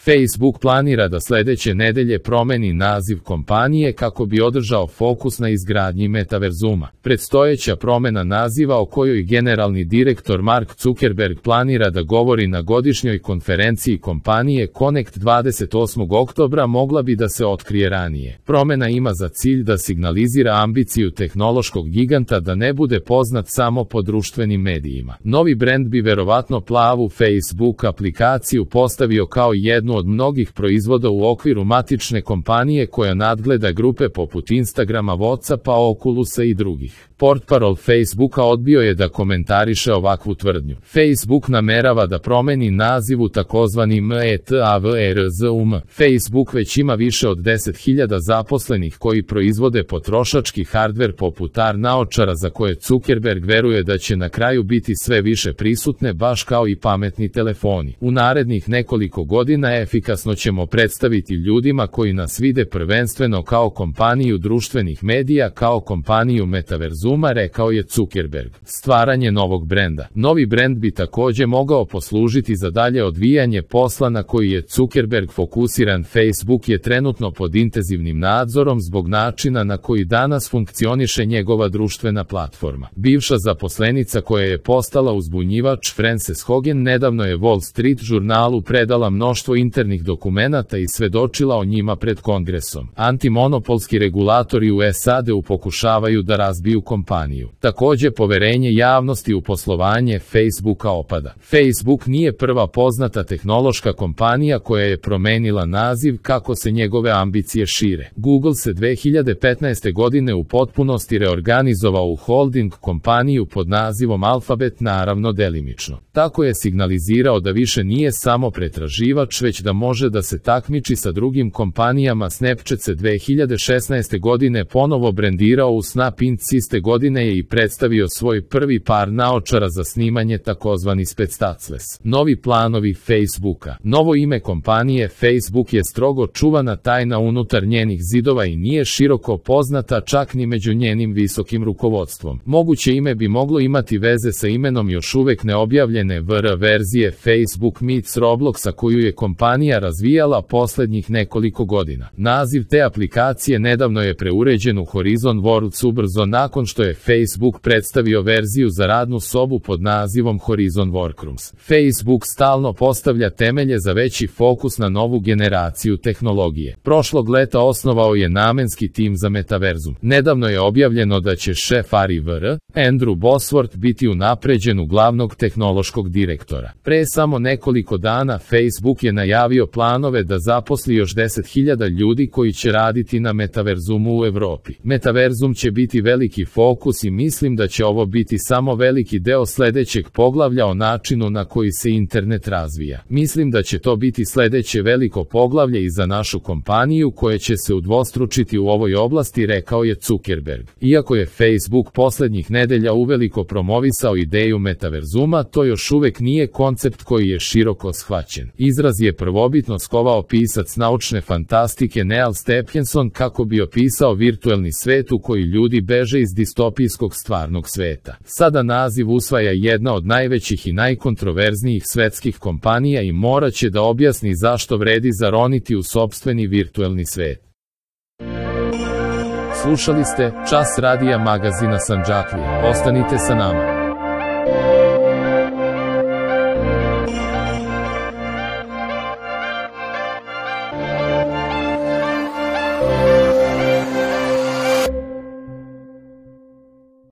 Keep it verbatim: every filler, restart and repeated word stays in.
Facebook planira da sledeće nedelje promeni naziv kompanije kako bi održao fokus na izgradnji metaverzuma. Predstojeća promena naziva o kojoj generalni direktor Mark Zuckerberg planira da govori na godišnjoj konferenciji kompanije Connect dvadeset osmog oktobra mogla bi da se otkrije ranije. Promena ima za cilj da signalizira ambiciju tehnološkog giganta da ne bude poznat samo po društvenim medijima. Novi brend bi verovatno plavu Facebook aplikaciju postavio kao jednu od mnogih proizvoda u okviru matične kompanije koja nadgleda grupe poput Instagrama, Whatsappa, Oculusa i drugih. Portparol Facebooka odbio je da komentariše ovakvu tvrdnju. Facebook namerava da promeni naziv u takozvani metaverzum. Facebook već ima više od deset hiljada zaposlenih koji proizvode potrošački hardver poput A R naočara za koje Zuckerberg veruje da će na kraju biti sve više prisutne baš kao i pametni telefoni. U narednih nekoliko godina efikasno ćemo predstaviti ljudima koji nas vide prvenstveno kao kompaniju društvenih medija, kao kompaniju metaverzuma, rekao je Zuckerberg. Stvaranje novog brenda. Novi brend bi takođe mogao poslužiti za dalje odvijanje posla na koji je Zuckerberg fokusiran. Facebook je trenutno pod intenzivnim nadzorom zbog načina na koji danas funkcioniše njegova društvena platforma. Bivša zaposlenica koja je postala uzbunjivač, Frances Hogan, nedavno je Wall Street žurnalu predala mnoštvo internih dokumenata i svedočila o njima pred Kongresom. Antimonopolski regulatori u S A D-u pokušavaju da razbiju kompaniju. Takođe, poverenje javnosti u poslovanje Facebooka opada. Facebook nije prva poznata tehnološka kompanija koja je promenila naziv kako se njegove ambicije šire. Google se dve hiljade petnaeste godine u potpunosti reorganizovao u holding kompaniju pod nazivom Alphabet, naravno delimično. Tako je signalizirao da više nije samo pretraživač, već da može da se takmiči sa drugim kompanijama. Snapchat se dve hiljade šesnaeste godine ponovo brendirao u Snap Inc. Iste godine je i predstavio svoj prvi par naočara za snimanje, takozvani Spectacles. Novi planovi Facebooka. Novo ime kompanije Facebook je strogo čuvana tajna unutar njenih zidova i nije široko poznata čak ni među njenim visokim rukovodstvom. Moguće ime bi moglo imati veze sa imenom još uvek neobjavljene V R verzije Facebook meets Robloxa koju je kompanija razvijala poslednjih nekoliko godina. Naziv te aplikacije nedavno je preuređen u Horizon Worlds ubrzo nakon što je Facebook predstavio verziju za radnu sobu pod nazivom Horizon Workrooms. Facebook stalno postavlja temelje za veći fokus na novu generaciju tehnologije. Prošlog leta osnovao je namenski tim za metaverzum. Nedavno je objavljeno da će šef A R I V R, Andrew Bosworth, biti unapređen u glavnog tehnološkog direktora. Pre samo nekoliko dana Facebook je najavio planove da zaposli još deset hiljada ljudi koji će raditi na metaverzumu u Evropi. Metaverzum će biti veliki fokus i mislim da će ovo biti samo veliki deo sledećeg poglavlja o načinu na koji se internet razvija. Mislim da će to biti sledeće veliko poglavlje i za našu kompaniju koje će se udvostručiti u ovoj oblasti, rekao je Zuckerberg. Iako je Facebook poslednjih nedelja uveliko promovisao ideju metaverzuma, to još uvek nije koncept koji je široko shvaćen. Izraz je prvobitno skovao pisac naučne fantastike Neal Stephenson kako bi opisao virtuelni svet u koji ljudi beže iz distopijskog stvarnog sveta. Sada naziv usvaja jedna od najvećih i najkontroverznijih svetskih kompanija i morat će da objasni zašto vredi zaroniti u sopstveni virtuelni svet. Slušali ste Čas radija magazina Sandžaklija. Ostanite sa nama.